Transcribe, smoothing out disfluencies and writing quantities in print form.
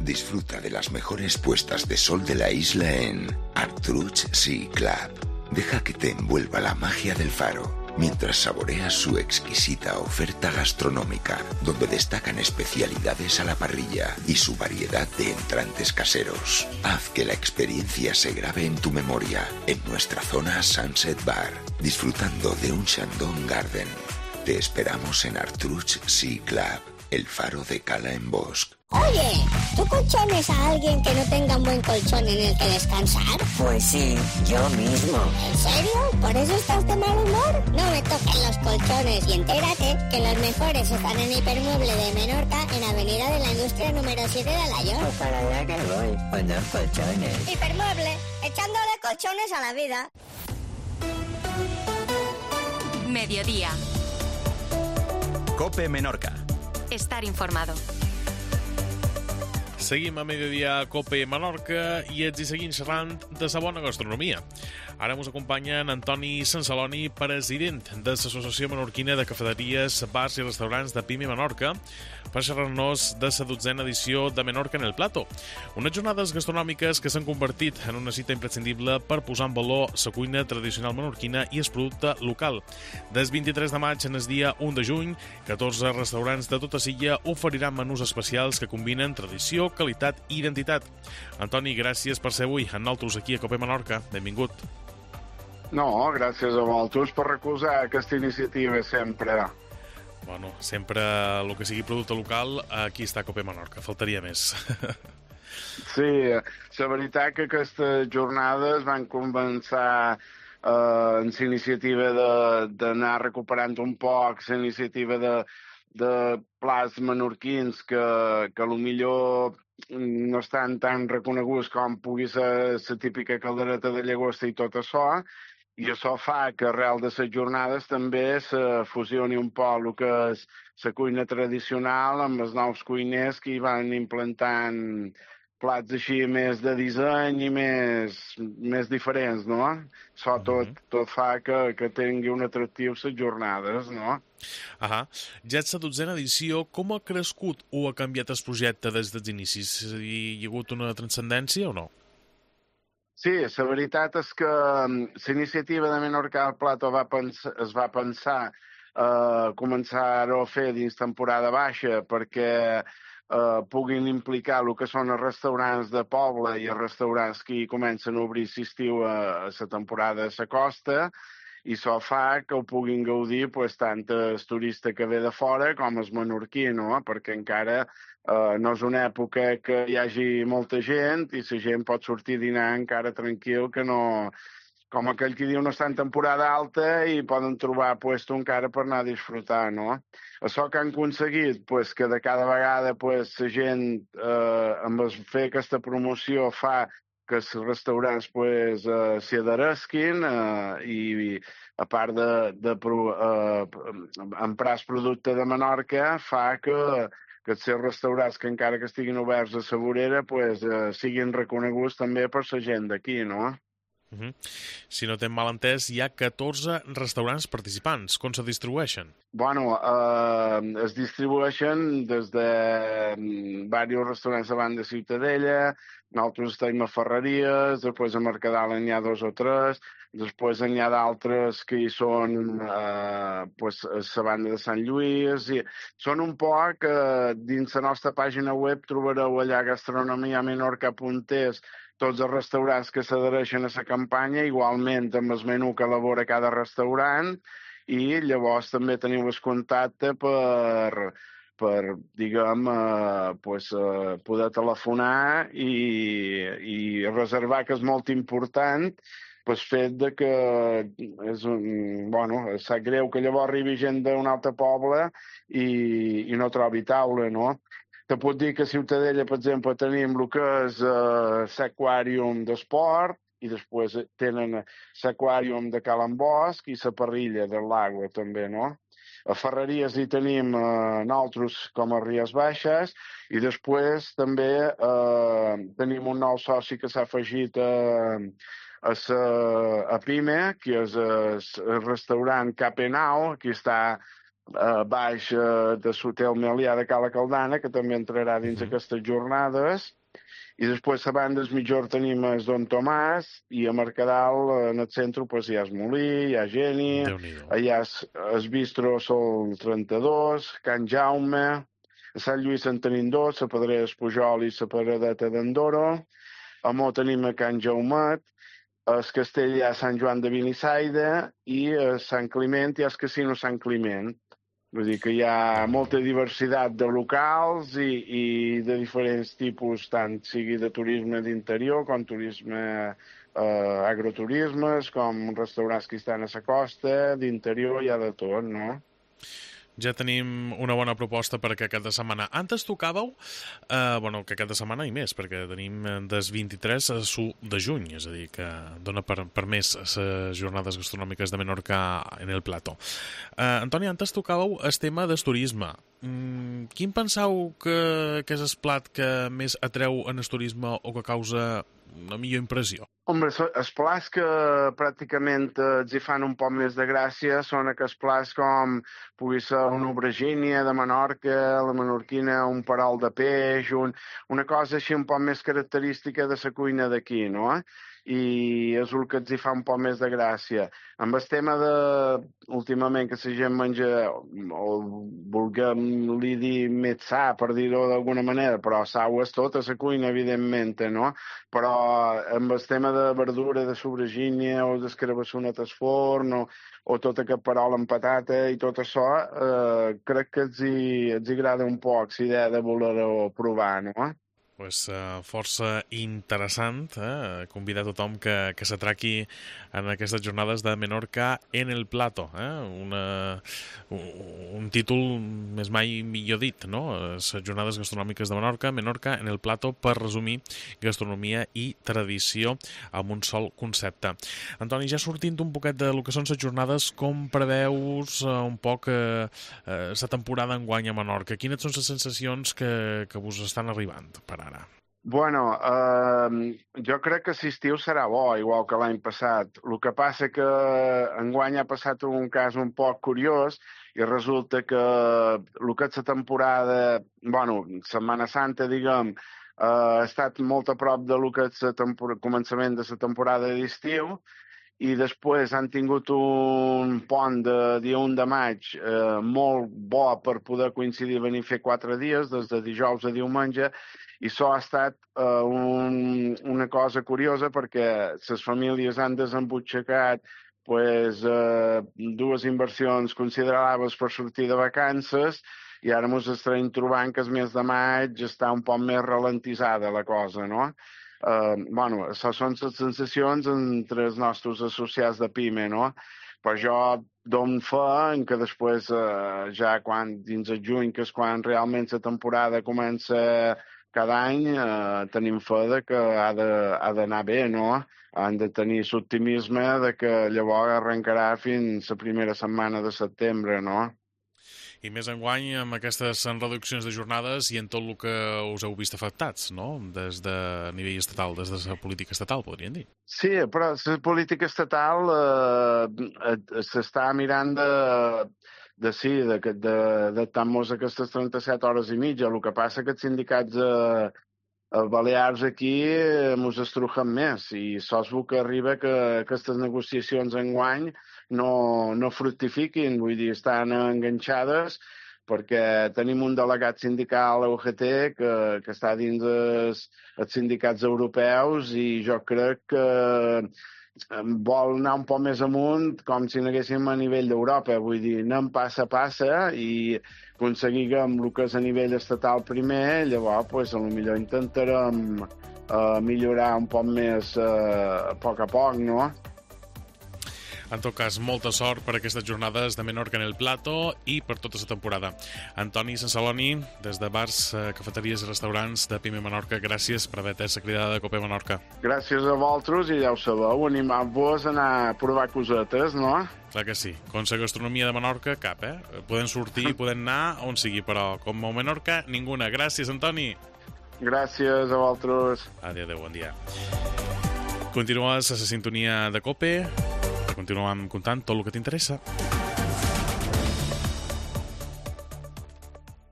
Disfruta de las mejores puestas de sol de la isla en Artruch Sea Club. Deja que te envuelva la magia del faro, mientras saboreas su exquisita oferta gastronómica, donde destacan especialidades a la parrilla y su variedad de entrantes caseros. Haz que la experiencia se grabe en tu memoria en nuestra zona Sunset Bar, disfrutando de un Shandong Garden. Te esperamos en Artruch Sea Club, el faro de Cala en Bosc. Oye, ¿tú colchones a alguien que no tenga un buen colchón en el que descansar? Pues sí, yo mismo. ¿En serio? ¿Por eso estás de mal humor? No me toquen los colchones y entérate que los mejores están en Hipermueble de Menorca, en Avenida de la Industria número 7 de Alaior. Pues para allá que voy, poner colchones. Hipermueble, echándole colchones a la vida. Mediodía. COPE Menorca. Estar informado. Seguim a Mediodía COPE Menorca i ets i seguim xerrant de la bona gastronomia. Ara ens acompanya en Antoni Sansaloni, president de l'Associació Menorquina de Cafeteries, Bars i Restaurants de PIME Menorca, per xerrar-nos de la 12a edició de Menorca en el Plato. Unes jornades gastronòmiques que s'han convertit en una cita imprescindible per posar en valor la cuina tradicional menorquina i el producte local. Des 23 de maig en el dia 1 de juny, 14 restaurants de tota l'illa oferiran menús especials que combinen tradició, qualitat i identitat. Antoni, gràcies per ser avui amb nosaltres aquí a COPE Menorca. Benvingut. No, gràcies a vosaltres per recolzar aquesta iniciativa sempre. Bueno, sempre el que sigui producte local, aquí està COPE Menorca, faltaria més. Sí, la veritat que aquestes jornades van començar en la iniciativa d'anar recuperant un poc la iniciativa de plats menorquins que potser no estan tan reconeguts com pugui ser la típica caldereta de llagosta i tot això, i això fa que arrel de les jornades també se fusioni un poc el que és la cuina tradicional amb els nous cuiners que hi van implantant plats així més de disseny i més diferents, no? Això tot fa que tingui un atractiu les jornades, no? Ja és la 12a edició. Com ha crescut o ha canviat el projecte des dels inicis? Hi ha hagut una transcendència o no? Sí, la veritat és que la iniciativa de Menorca al Plato es va pensar començar-ho a fer dins temporada baixa perquè puguin implicar el que són els restaurants de poble i els restaurants que comencen a obrir l'estiu a la temporada de la costa, i això fa que ho puguin gaudir tant el turista que ve de fora com el menorquí, no? Perquè encara no és una època que hi hagi molta gent i la gent pot sortir a dinar encara tranquil, que no, com aquell que diu, no està en temporada alta i poden trobar puesto encara per anar a disfrutar, no? Això que han aconseguit, que de cada vegada la gent amb fer aquesta promoció fa que els restaurants s'hi adheresquin i a part d'emprar el producte de Menorca fa que els seus restaurants que encara que estiguin oberts a la vorera siguin reconeguts també per la gent d'aquí, no? Si no t'hem mal entès, hi ha 14 restaurants participants. Com se distribueixen? Bueno, es distribueixen des de diversos restaurants davant de Ciutadella, nosaltres estem a Ferreries, després a Mercadal n'hi ha 2 o 3, després n'hi ha d'altres que hi són a la banda de Sant Lluís. Són un poc, dins la nostra pàgina web trobareu allà gastronomiamenorca.es tots els restaurants que s'adhereixen a la campanya, igualment amb el menú que elabora cada restaurant, i llavors també teniu el contacte per poder telefonar i reservar, que és molt important, pel fet de que sap greu que llavors arribi gent d'un altre poble i no trobi taula, no? Te puc dir que a Ciutadella, per exemple, tenim el que és l'aquàrium d'esport i després tenen l'aquàrium de Cala en Bosc i la parrilla del lago també, no? A Ferreries hi tenim nosaltres com a Ries Baixes i després també tenim un nou soci que s'ha afegit a PIME, que és el restaurant Capenau, que està baix de l'hotel Melià de Cala Caldana, que també entrarà dins aquestes jornades. I després a banda del mitjor tenim el Don Tomàs i a Mercadal, en el centre, pues, hi ha el Molí, hi ha Geni, hi ha el Bistro Sol 32, Can Jaume, a Sant Lluís en tenim dos, la Pedrera Espujol i la Paradeta d'Andoro, a Mó tenim a Can Jaumet, a Castell hi ha Sant Joan de Benissaida i a Sant Climent hi ha el Casino Sant Climent. Vull dir que hi ha molta diversitat de locals i de diferents tipus, tant sigui de turisme d'interior com turisme agroturismes, com restaurants que estan a la costa, d'interior hi ha de tot, no? Ja tenim una bona proposta per aquest cap de setmana. Antes tocàveu, que cap de setmana i més, perquè tenim des 23 a 1 de juny, és a dir, que dona per més les jornades gastronòmiques de Menorca en el plató. Antoni, antes tocàveu el tema del turisme. Quin penseu que és el plat que més atreu en el turisme o que causa una millor impressió? Hombre, els plats que pràcticament els hi fan un poc més de gràcia són aquests plats com pugui ser una aubergínia de Menorca, la menorquina, un perol de peix, una cosa així un poc més característica de la cuina d'aquí, no? I és el que els hi fa un poc més de gràcia. Amb el tema últimament, que la gent menja, o vulguem-li dir més sa, per dir-ho d'alguna manera, però sau és tota la cuina, evidentment, no? Però amb el tema de verdura, de sobragínia, o d'escarabassonet al forn, o tot aquest perol amb patata i tot això, crec que els hi agrada un poc la idea de voler-ho provar, no? Pues, força interessant, convidar tothom que s'atraqui en aquestes jornades de Menorca en el plato, un títol més mai millor dit, no? Les jornades gastronòmiques de Menorca en el plato, per resumir gastronomia i tradició amb un sol concepte. Antoni, ja sortint un poquet de lo que són les jornades, com preveus un poc la temporada enguany a Menorca? Quines són les sensacions que vos estan arribant per ara? Bueno, jo crec que l'estiu serà bo, igual que l'any passat. El que passa que enguany ha passat un cas un poc curiós i resulta que el que és la temporada, Setmana Santa, diguem, ha estat molt a prop de lo que és el començament de la temporada d'estiu i després han tingut un pont de dia 1 de maig molt bo per poder coincidir i venir a fer 4 dies, des de dijous a diumenge, i això ha estat una cosa curiosa perquè les famílies han desembutxacat dues inversions considerables per sortir de vacances i ara ens estarem trobant que el mes de maig està un poc més ralentitzada la cosa, no? Això són les sensacions entre els nostres associats de PIME, no? Però jo dono fe que després, ja dins el juny, que és quan realment la temporada comença cada any, tenim fe que ha d'anar bé, no? Han de tenir l'optimisme que llavors arrencarà fins la primera setmana de setembre, no? I més enguany amb aquestes reduccions de jornades i en tot el que us heu vist afectats, no? Des de nivell estatal, des de la política estatal, podríem dir. Sí, però la política estatal s'està mirant d'adaptar-nos aquestes 37 hores i mitja. El que passa que els sindicats balears aquí ens estrujen més i sols que arriba que aquestes negociacions enguany no fructifiquin, vull dir, estan enganxades perquè tenim un delegat sindical a UGT que està dins els sindicats europeus i jo crec que vol anar un poc més amunt com si anéssim a nivell d'Europa, vull dir, anem passa a passa i aconseguim el que és a nivell estatal primer, llavors potser intentarem millorar un poc més a poc, no? En tot cas, molta sort per aquestes jornades de Menorca en el plato i per tota la temporada. Antoni Sansaloni, des de bars, cafeteries i restaurants de PIME Menorca, gràcies per haver atès la cridada de Cope Menorca. Gràcies a vosaltres i ja ho sabeu, animant-vos a anar a provar cosetes, no? Clar que sí. Com la gastronomia de Menorca, cap, Podem sortir, podem anar on sigui, però com a Menorca, ninguna. Gràcies, Antoni. Gràcies a vosaltres. Adéu, bon dia. Continues a la sintonia de Cope. Continuem contant tot el que t'interessa.